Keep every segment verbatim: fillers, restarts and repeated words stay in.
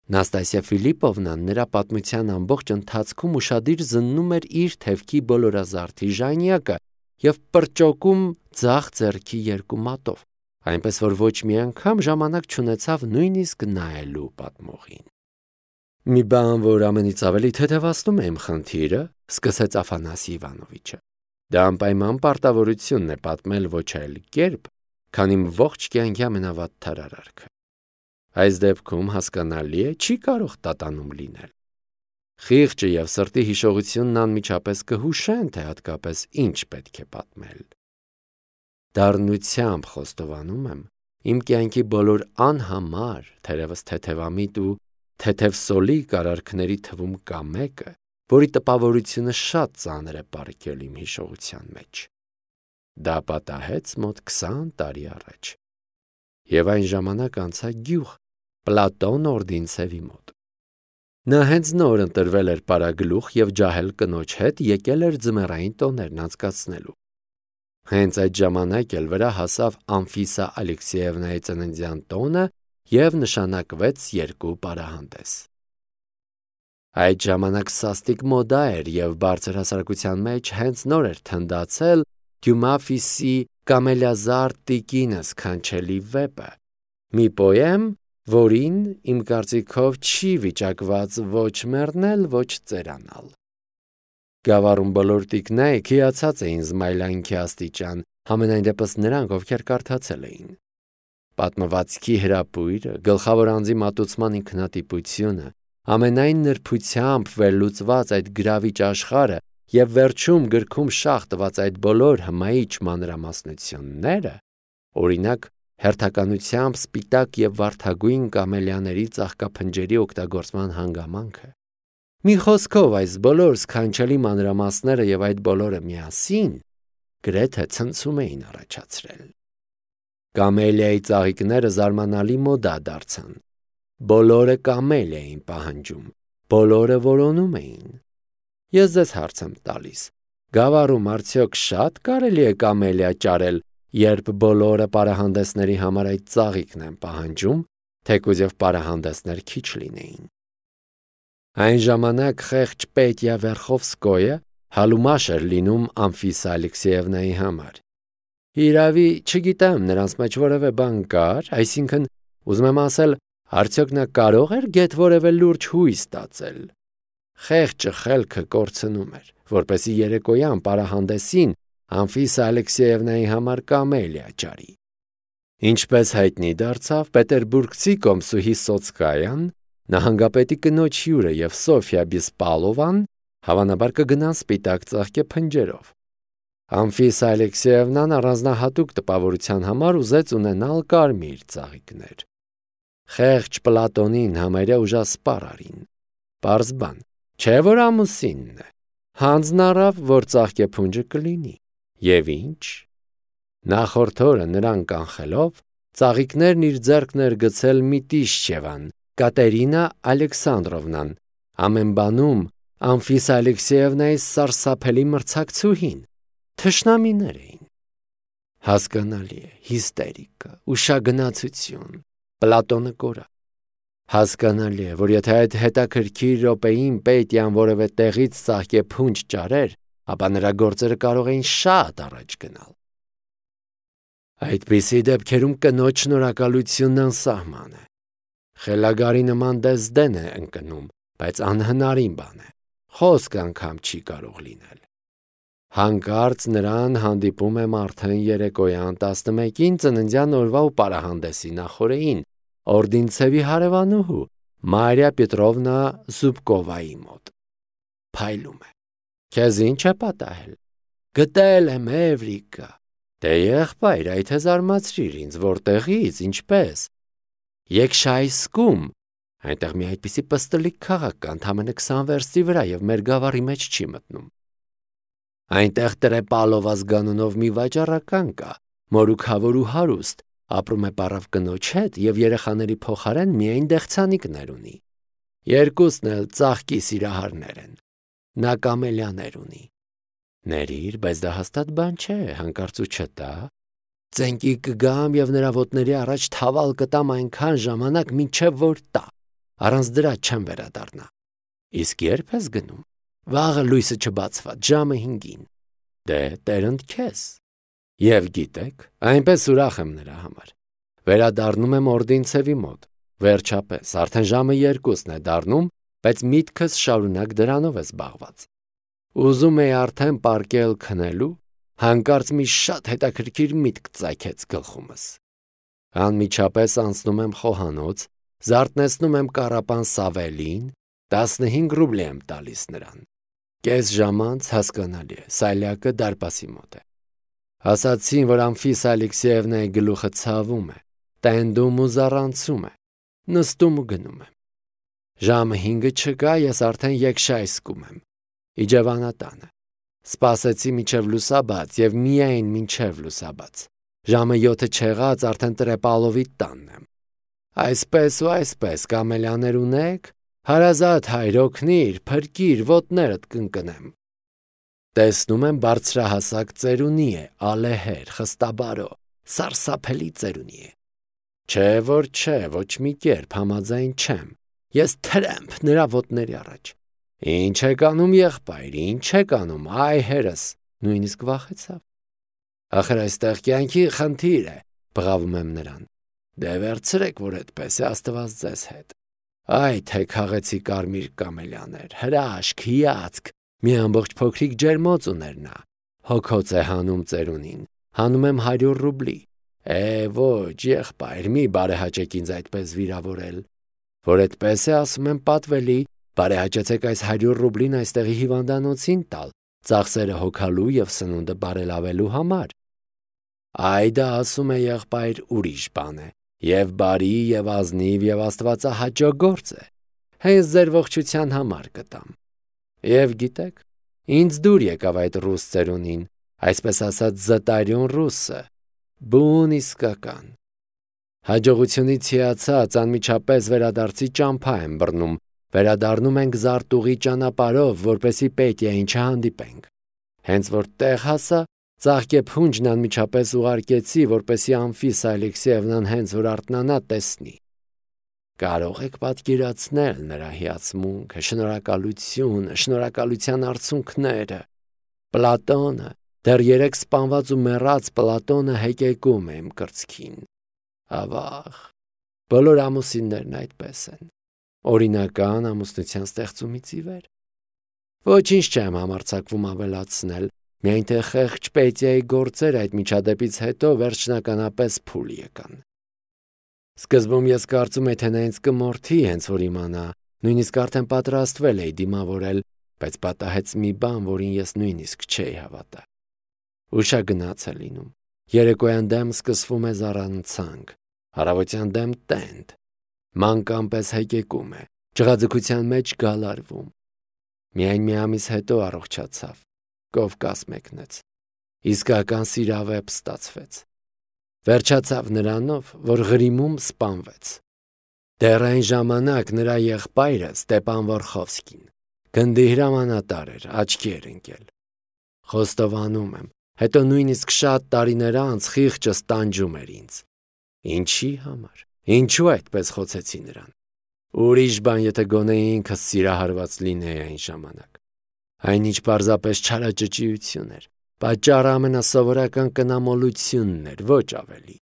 Նաստասիա Ֆիլիպովնան նրա պատմության ամբողջ ընթացքում ուշադիր զննում էր իր թևքի բոլորազարդի ժանյակը և պրճոկում ձախ ձեռքի երկու մատով, այնպես որ ոչ մի անգամ ժամանակ չունեցավ նույնիսկ նայելու պատմողին։ Մի բան, որ ամենից ավելի թեթևացնում է իմ խնդիրը, սկսեց Աֆանասի Իվանովիչը, դա անպայման պարտավորությունն է պատմել ոչ այլ կերպ, քան իմ ողջ կյանքի ամենավատ թարարարքը։ Այս դեպքում հասկանալի է, չի կարող տատանում լինել։ Խիղճը և սրտի հիշողությունն անմիջապես կհուշեն, թե հատկապես ինչ պետք է պատմել։ Դառնությամբ խոստովանում եմ, իմ կյանքի բոլոր անհամար, թերևս թեթևամիտ ու թեթևսոլիկ արարքների թվում կա մեկը, որի տպավորությունը շատ ծանր է պառկել իմ հիշողության մեջ։ Դա պատահեց մոտ քսան տարի առաջ, և այն ժամանակ անցա գյուղ Պլատոն Օրդինցևի մոտ։ Նա հենց նոր ընտրվել էր պարագլուխ և ջահել կնոջ հետ եկել էր ձմեռային տոներն անցկացնելու։ Հենց այդ ժամանակ էլ վրա հասավ Անֆիսա Ալեքսեևնայի ծննդյան տոնը և նշանակվեց երկու պարահանդես։ Այդ ժամանակ սաստիկ մոդա էր և բարձր հասարակության մեջ հենց նոր էր թնդացել Դյումաֆիսի «Կամելիազարդ տիկինս» քանչելի վեպը, մի պոեմ, որին, իմ կարծիքով, չի վիճակված ոչ մեռնել, ոչ ծերանալ։ Գավառում բոլոր տիկնայք հիացած էին զմայլանքի աստիճան, համենայն դեպս նրանք, ովքեր կարդացել էին։ Պատմվածքի հրապույրը, գլխավոր անձի մատուցման ինքնատիպությունը, ամենայն նրբությամբ վերլուծված այդ գրավիչ աշխարհը և վերջում գրքում շաղ տված այդ բոլոր հմայիչ մանրամասնությունները, օրինակ, հերթականությամբ սպիտակ և վարդագույն կամելիաների ծաղկափնջերի օգտագործման հանգամանքը։ Մի խոսքով, այս բոլոր սքանչելի մանրամասները և այդ բոլորը միասին գրեթե ցնցում էին առաջացրել։ Կամելիայի ծաղիկները զարմանալի մոդա դարձան։ Բոլորը կամելիա էին պահանջում, բոլորը որոնում էին։ Ես ձեզ հարց եմ տալիս. գավառում արդյոք շատ կարելի է կամելիա ճարել, երբ բոլորը պարահանդեսների համար այդ ծաղիկն են պահանջում, թեկուզ և պարահանդեսներ քիչ լինեին։ Այն ժամանակ խեղճ Պետյա Վերխովսկոյը հալումաշ էր լինում Անֆիսա Ալեքսեևնայի համար։ Իրավի, չգիտեմ, նրանց մեջ որևէ բան կար, այսինքն, ուզում եմ ասել, արդյոք նա կարող էր գեթ որևէ լուրջ հույս ստացել։ Խեղճը խելքը կորցնում էր, որպեսզի երեկոյան պարահանդեսին Անֆիսա Ալեքսեևնայի համար կամելիա ճարի։ Ինչպես հայտնի դարձավ, պետերբուրգցի կոմսուհի Սոցկայան, նահանգապետի կնոջ հյուրը և Սոֆյա Բիսպալովան հավանաբար կգնան սպիտակ ծաղկե փնջերով։ Անֆիսա Ալեքսեևնան առանձնահատուկ տպավորության համար ուզեց ունենալ կարմիր ծաղիկներ։ Խեղճ Պլատոնին համարյա ուժասպառ արին։ Պարզ բան, չէ՞ որ ամուսինն է։ Հանձն առավ, որ ծաղկեփունջը կլինի։ Եվ ինչ։ Նախորդ օրը նրան կանխելով, ծաղիկներն իր ձեռքն էր գցել Միտիշչևան, Կատերինա Ալեքսանդրովնան, ամեն բանում Անֆիսա Ալեքսեևնայի սարսափելի մրցակցուհին։ Թշնամիներ էին։ Հասկանալի է, հիստերիկա, ուշագնացություն, Պլատոնը կորավ։ Հասկանալի է, որ եթե այդ հետաքրքիր րոպեին Պետյան որևէ տեղից ծաղկեփունջ ճարեր, ապա նրա գործերը կարող էին շատ առաջ գնալ։ Այդպիսի դեպքերում կնոջ շնորհակալությունն անսահման է։ Խելագարի նման դեսդեն է ընկնում, բայց անհնարին բան է։ Խոսք անգամ չի կարող լինել։ Հանկարծ նրան հանդիպում եմ արդեն երեկոյան տասնմեկին ծննդյան օրվա ու պարահանդեսի նախօրեին Օրդինցևի հարևանուհու Մարիա Պետրովնա Զուբկովայի մոտ։ Փայլում է։ Քեզ ինչ է պատահել։ Գտել եմ, Էվրիկա։ Դե եղբայր, այդ է զարմացրիր ինձ, որտեղից, ինչպես։ Եքշայսկում, այնտեղ մի այդպիսի պստլիկ քաղաք կա, ընդամենը քսան վերստի վրա և մեր գավառի մեջ չի մտնում։ Այնտեղ Տրեպալով ազգանունով մի վաճառական կա, մորուքավոր ու հարուստ, ապրում է պառավ կնոջ հետ և երեխաների փոխարեն միայն դեղցանիկներ ունի։ Երկուսն էլ ծաղկի սիրահարներ են։ Նա կամելիաներ ունի։ Ներիր, բայց դա հաստատ բան չէ, հանկարծ ու չտա։ Ծենկի կգամ և նրա ոտների առաջ թավալ կտամ այնքան ժամանակ, մինչև որ տա։ Առանց դրա չեմ վերադառնա։ Իսկ երբ ես գնում։ Վաղը լույսը չբացված, ժամը հինգին։ Դե տերընդ քեզ։ Եվ գիտեք, այնպես ուրախ եմ նրա համար։ Վերադառնում եմ Օրդինցևի մոտ։ Վերջապես, արդեն ժամը երկուսն է դառնում, բայց միտքս շարունակ դրանով է զբաղված։ Ուզում էի արդեն պարկել քնելու, հանկարծ մի շատ հետաքրքիր միտք ծագեց գլխումս։ Անմիջապես անցնում եմ խոհանոց, զարթնեցնում եմ կառապան Սավելին, տասնհինգ ռուբլի եմ տալիս նրան։ Կես ժամ անց հասկանալի է, Սալյակը դարպասի մոտ է։ Ասացին, որ Անֆիս Ալեքսեևնայի գլուխը ցավում է, տենդում ու զառանցում է, նստում ու գնում եմ։ Ժամը հինգը չկա, ես արդեն եկշայսկում եմ, իջևանատանը։ Սպասեցի մինչև լուսաբաց և միայն մինչև լուսաբաց։ Ժամը յոթը չեղած արդեն Տրեպալովի տանն եմ։ Այսպես ու այսպես կամելյաներ ունեք, հարազատ հայր օգնիր, փրկիր, ոտներդ կընկնեմ։ Տեսնում եմ բարձրահասակ ծերունի է, ալեհեր, խստաբարո, սարսափելի ծերունի է։ Չէ, որ չէ, ոչ մի կերպ համաձայն չեմ։ Ես թրեմփ նրա ոտների առաջ։ Ինչ եք անում, եղբայր, ինչ եք անում, այ հերս, նույնիսկ վախեցավ։ Ախր այստեղ կյանքի խնդիր է, բղավում եմ նրան։ Դե վերցրեք, որ այդպես է, Աստված ձեզ հետ։ Այ թե քաղեցի կարմիր կամելյաներ, հրաշք, հիացք, մի ամբողջ փոքրիկ ջերմոց ուներ նա։ Հոգոց է հանում ծերունին, հանում եմ հարյուր ռուբլի։ Է, ոչ, եղբայր, մի բարեհաճեք ինձ այդպես վիրավորել։ Որ այդպես է, ասում եմ պատվելի, բարեհաճեցեք այս հարյուր ռուբլին այստեղի հիվանդանոցին տալ, ծախսերը հոգալու և սնունդը բարելավելու համար։ Այ դա ասում է եղբայր ուրիշ բան է, և բարի, և ազնիվ, և աստվածահաճո գործ է, հենց ձեր ողջության համար կտամ։ Եվ գիտեք, ինձ դուր եկավ այդ ռուս ծերունին, այսպես ասած զտարյուն ռուսը, բուն իսկական։ Հաջողությունից հիացած անմիջապես վերադարձի ճամփա եմ բռնում, վերադառնում ենք զարտուղի ճանապարհով, որպեսզի Պետիային չհանդիպենք։ Հենց որ տեղ հասա, ծաղկեփունջն անմիջապես ուղարկեցի, որպեսզի Անֆիս Ալեքսեևնան հենց որ արթնանա տեսնի։ Կարող եք պատկերացնել նրա հիացմունքը, շնորհակալությունը, շնորհակալության արցունքները։ Պլատոնը, դեռ երեք սպանված ու մեռած Պլատոնը հեկեկում է իմ կրծքին։ Ավաղ, բոլոր ամուսիններն այդպես են, օրինական ամուսնության ստեղծումից ի վեր։ Ոչինչ չեմ համարձակվում ավելացնել, միայն թե խեղճ Պետիայի գործերը այդ միջադեպից հետո վերջնականապես փուլ եկան։ Սկզբում ես կարծում էի, թե նա ինձ կմորթի, հենց որ իմանա, նույնիսկ արդեն պատրաստվել էի դիմավորել, բայց պատահեց մի բան, որին ես նույնիսկ չէի հավատա։ Ուշագնաց է լինում, երեկոյան դեմ սկսվում է զառանցանք, առավոտյան դեմ տենդ, մանկան պես հեկեկում է, ջղաձգության մեջ գալարվում։ Միայն մի ամիս հետո առողջացավ, Կովկաս մեկնեց, իսկական սիրավեպ ստացվեց։ Վերջացավ նրանով, որ Ղրիմում սպանվեց։ Դեռ այն ժամանակ նրա եղբայրը Ստեպան Վորխովսկին գնդի հրամանատար էր, աչքի էր ընկել։ Խոստովանում եմ, հետո նույնիսկ շատ տարիներ անց խիղճս տանջում էր ինձ։ Ինչի համար, ինչու այդպես խոցեցի նրան։ Ուրիշ բան, եթե գոնե ինքս սիրահարված լինեի այն ժամանակ։ Այնինչ պարզապես չարաճճիություն էր, պատճառը ամենասովորական կնամոլությունն էր, ոչ ավելի։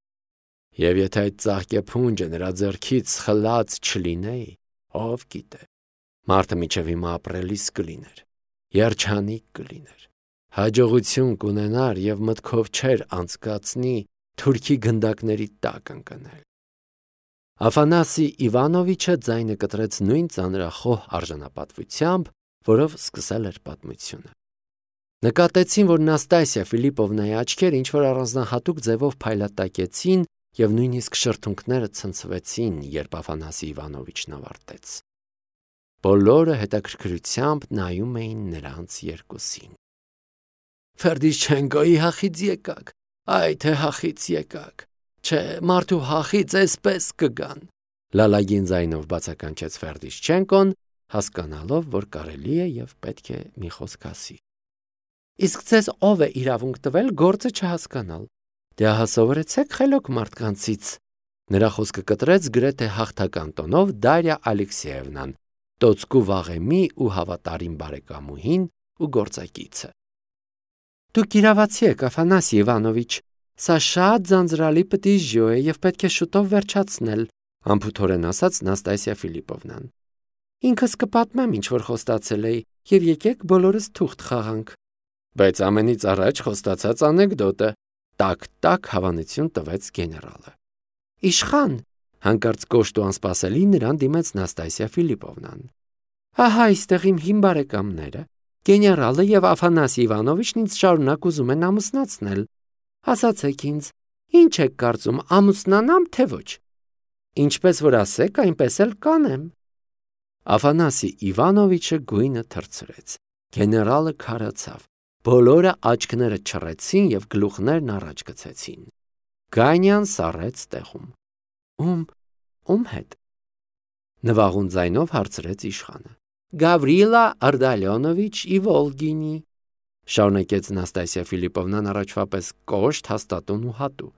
Եվ եթե այդ ծաղկեփունջը նրա ձեռքից խլած չլինեի, ով գիտե, մարդը մինչև հիմա ապրելիս կլիներ, երջանիկ կլիներ, հաջողություն կունենար և մտքով չէր անցկացնի թուրքի գնդակների տակ ընկնել։ Աֆանասի Իվանովիչը ձայնը կտրեց նույն ծանրախոհ արժանապատվությամբ, որով սկսել էր պատմությունը։ Նկատեցին, որ Նաստասիա Ֆիլիպովնայի աչքերը ինչ-որ առանձնահատուկ ձևով փայլատակեցին և նույնիսկ շրթունքները ցնցվեցին, երբ Աֆանասի Իվանովիչն ավարտեց։ Բոլորը հետաքրքրությամբ նայում էին նրանց երկուսին։ Ֆերդիշչենկոյի հախից եկաք, այ թե հախից եկաք, չէ, մարդու հախից էսպես կգան, լալագին ձայնով բացականչեց Ֆերդիշչենկոն, հասկանալով, որ կարելի է և պետք է մի խոսք ասի։ Իսկ ձեզ ով է իրավունք տվել գործը չհասկանալ։ Դե ահա սովորեցեք խելոք մարդկանցից, Նրա խոսքը կտրեց գրեթե հաղթական տոնով Դարիա Ալեքսեևնան, տոցկու վաղեմի ու հավատարիմ բարեկամուհին ու գործակիցը։ Դուք իրավացի եք, Աֆանասի Իվանովիչ, սա շատ ձանձրալի պտիժյո է եւ պետք է շուտով վերջացնել, անփութորեն ասաց Նաստասիա Ֆիլիպովնան։ Ինքս կպատմեմ, ինչ որ խոստացել էի, եւ եկեք բոլորս թուղթ խաղանք։ Բայց ամենից առաջ խոստացած անեկդոտը, տակ-տակ հավանություն տվեց գեներալը։ Իշխան, հանկարծ կոշտ ու անսպասելի նրան դիմեց Նաստասիա Ֆիլիպովնան։ Ահա այստեղ իմ հին բարեկամները, գեներալը եւ Աֆանասի Իվանովիչն ինձ շարունակ ուզում են ամուսնացնել։ Ասացեք ինձ, ինչ եք կարծում, ամուսնանամ թե ոչ։ Ինչպես որ ասեք, այնպես էլ կանեմ։ Աֆանասի Իվանովիչը գույնը թրցրեց։ Գեներալը քարացավ։ Բոլորը աչքները չռեցին եւ գլուխներն առաջ գցեցին։ Գանյան սառեց տեղում։ Ում, ում հետ։ Նվաղուն ձայնով հարցրեց իշխանը։ Գավրիլա Արդալյոնովիչ Իվոլգինի, շարունակեց Նաստասիա Ֆիլիպովնան առաջվա պես կոշտ, հաստատուն ու հատու։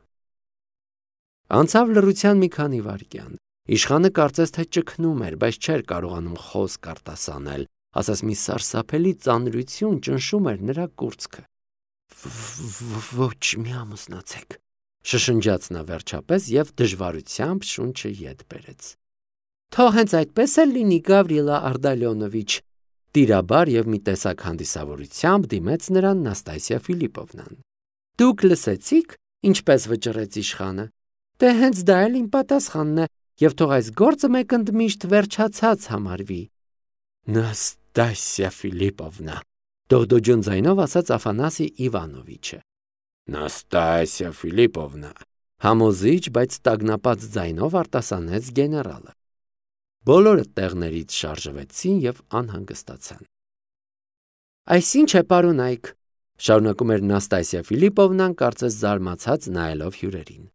Անցավ լռության մի քանի վայրկյան։ Իշխանը կարծես թե ճգնում էր, բայց չէր կարողանում խոսք արտասանել, ասես մի սարսափելի ծանրություն ճնշում էր նրա կուրծքը։ Ոչ մի ամուսնացեք, շշնջաց նա վերջապես եւ դժվարությամբ շունչը ետ բերեց։ Թող հենց այդպես էլ լինի, Գավրիլա Արդալյոնովիչ, տիրաբար եւ մի տեսակ հանդիսավորությամբ դիմեց նրան Նաստասիա Ֆիլիպովնան։ Դուք լսեցիք, ինչպես վճռեց իշխանը։ Դե հենց դա էլ իմ պատասխանն է, եւ թող այս գործը մեկ ընդմիշտ վերջացած համարվի։ Նաստասիա Ֆիլիպովնա, դողդոջուն ձայնով ասաց Աֆանասի Իվանովիչը։ Նաստասիա Ֆիլիպովնա, համոզիչ, բայց տագնապած ձայնով արտասանեց գեներալը։ Բոլորը տեղներից շարժվեցին եւ անհանգստացան։ Այսինչ է, պարոնայք, շարունակում էր Նաստասիա Ֆիլիպովնան, կարծես զարմացած նայելով հյուրերին։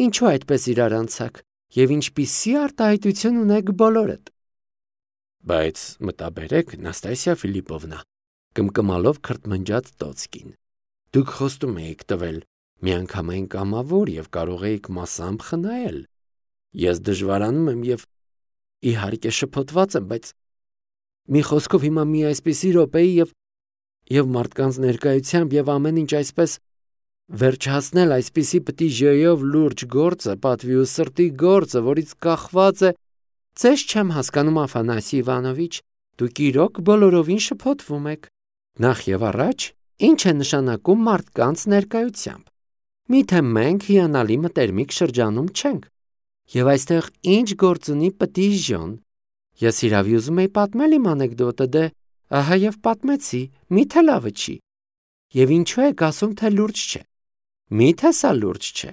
Ինչու այդպես իրար անցաք եւ ինչպիսի արտահայտություն ունեք բոլորդ։ Բայց մտաբերեք, Նաստասիա Ֆիլիպովնա, կմկմալով քրթմնջաց Տոցկին։ Դուք խոստում եք տվել միանգամայն կամավոր եւ կարող եք մասամբ խնայել։ Ես դժվարանում եմ եւ իհարկե շփոթված եմ, բայց մի խոսքով հիմա մի այսպիսի րոպեի եւ եւ մարդկանց ներկայությամբ եւ ամեն ինչ այսպես վերջացնել այսպիսի պտիժյոյով լուրջ գործը, պատվի ու սրտի գործը, որից կախված է, ձեզ չեմ հասկանում, Աֆանասի Իվանովիչ, դուք իրոք բոլորովին շփոթվում եք։ Նախ եւ առաջ, ինչ է նշանակում մարդկանց ներկայությամբ։ Միթե մենք հիանալի մտերմիկ շրջանում չենք։ Եվ այստեղ ինչ գործ ունի պտիժյոն։ Ես իրավի ուզում եի պատմել իմ անեկդոտը, դե ահա եւ պատմեցի, միթե լավը չի։ Եվ ինչու եք ասում, թե լուրջ չէ։ Միթե սա լուրջ չէ։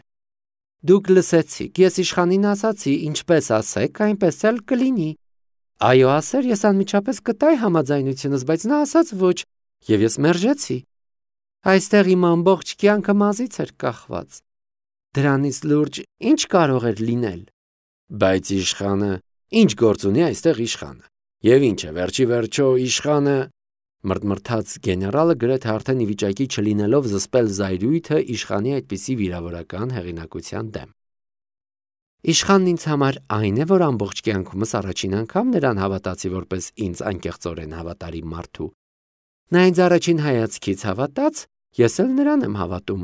Դուք լսեցիք, ես իշխանին ասացի, ինչպես ասեք, այնպես էլ կլինի։ Այո, ասեր, ես անմիջապես կտայի համաձայնությունս, բայց նա ասաց ոչ, եւ ես մերժեցի։ Այստեղ իմ ամբողջ կյանքը մազից էր կախված։ Դրանից լուրջ ինչ կարող էր լինել։ Բայց իշխանը, ինչ գործ ունի այստեղ իշխանը։ Եվ ինչ է, վերջի վերջո իշխանը, մրթմրթաց գեներալը գրեթե արդեն ի վիճակի չլինելով զսպել զայրույթը իշխանի այդպիսի վիրավորական հեղինակության դեմ։ Իշխանն ինձ համար այն է, որ ամբողջ կյանքումս առաջին անգամ նրան հավատացի որպես ինձ անկեղծորեն հավատարիմ մարդու։ Նա ինձ առաջին հայացքից հավատաց, ես էլ նրան եմ հավատում։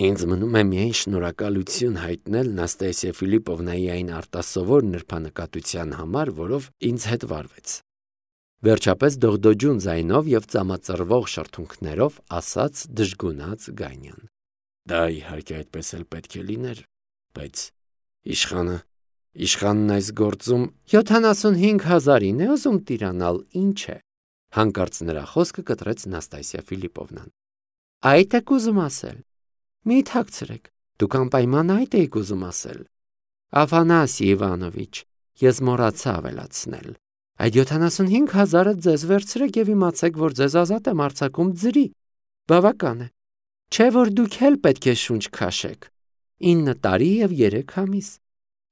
Ինձ մնում է միայն շնորհակալություն հայտնել Նաստասիա Ֆիլիպովնայի այն արտասովոր նրբանկատության համար, որով ինձ հետ վարվեց։ Վերջապես դողդոջուն ձայնով եւ ծամածռվող շրթունքներով ասաց դժգունած Գանյան։ Դա իհարկե այդպես էլ պետք է լիներ, բայց իշխանը, իշխանն այս գործում յոթանասունհինգ հազարին է ուզում տիրանալ, ինչ է։ Հանկարծ նրա խոսքը կտրեց Նաստասիա Ֆիլիպովնան։ Այդ եք ուզում ասել։ Մի թաքցրեք, դուք անպայման այդ եք ուզում ասել։ Աֆանասի Իվանովիչ, ես մոռացա ավելացնել։ Այդ յոթանասունհինգ հազարը ձեզ վերցրեք եւ իմացեք, որ ձեզ ազատ եմ արձակում ձրի։ Բավական է։ Չէ՞ որ դուք էլ պետք է շունչ քաշեք։ ինը տարի եւ երեք ամիս։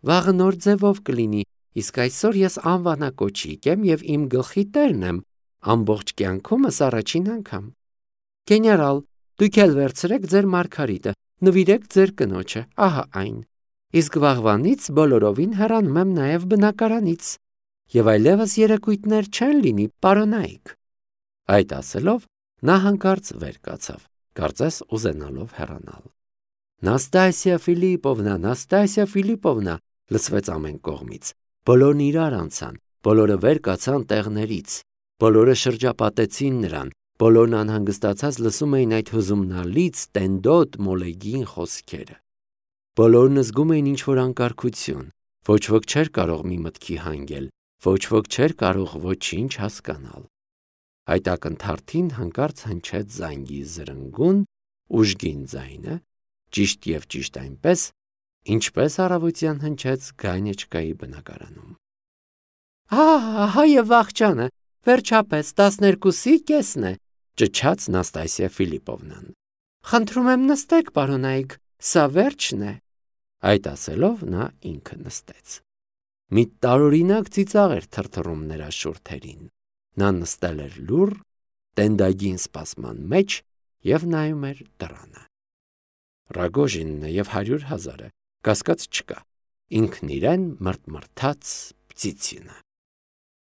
Վաղը նոր ձևով կլինի, իսկ այսօր ես անվանակոչիկ եմ եւ իմ գլխի տերն եմ, ամբողջ կյանքումս առաջին անգամ։ Գեներալ, դուք էլ վերցրեք ձեր մարգարիտը, նվիրեք ձեր կնոջը, ահա այն։ իսկ վաղվանից բոլորովին հեռանում եմ նաև բնակարանից, եւ այլևս երեկույթներ չեն լինի, պարոնայք։ Այդ ասելով նա հանկարծ վեր կացավ, կարծես ուզենալով հեռանալ։ Նաստասիա Ֆիլիպովնա, Նաստասիա Ֆիլիպովնա, լսվեց ամեն կողմից։ Բոլորն իրար անցան, բոլորը վեր կացան տեղներից, բոլորը շրջապատեցին նրան, բոլորն անհանգստացած լսում էին այդ հուզումնալից տենդոտ մոլեգին խոսքերը։ Բոլորն զգում էին ինչ-որ անկարգություն, ոչ ոք չէր կարող մի մտքի հանգել, ոչ ոք չէր կարող ոչինչ հասկանալ։ Այդ ակնթարթին հանկարծ հնչեց զանգի զրնգուն, ուժգին ձայնը, ճիշտ եւ ճիշտ այնպես, ինչպես առավոտյան հնչեց Գանյեչկայի բնակարանում։ «Ահա, ահա եւ աղջանը, վերջապես տասներկուսի կեսն է», ճչաց Նաստասիա Ֆիլիպովնան։ «Խնդրում եմ նստեք, պարոնայք, սա վերջն է»։ Այդ ասելով նա ինքը նստեց։ Մի տարօրինակ ծիծաղ էր թրթռում նրա շուրթերին։ Նա նստել էր լուռ, տենդագին սպասման մեջ եւ նայում էր դռանը։ Ռագոժինը եւ հարյուր հազարը կասկած չկա, ինքն իրեն մրթմրթաց Պտիցինը։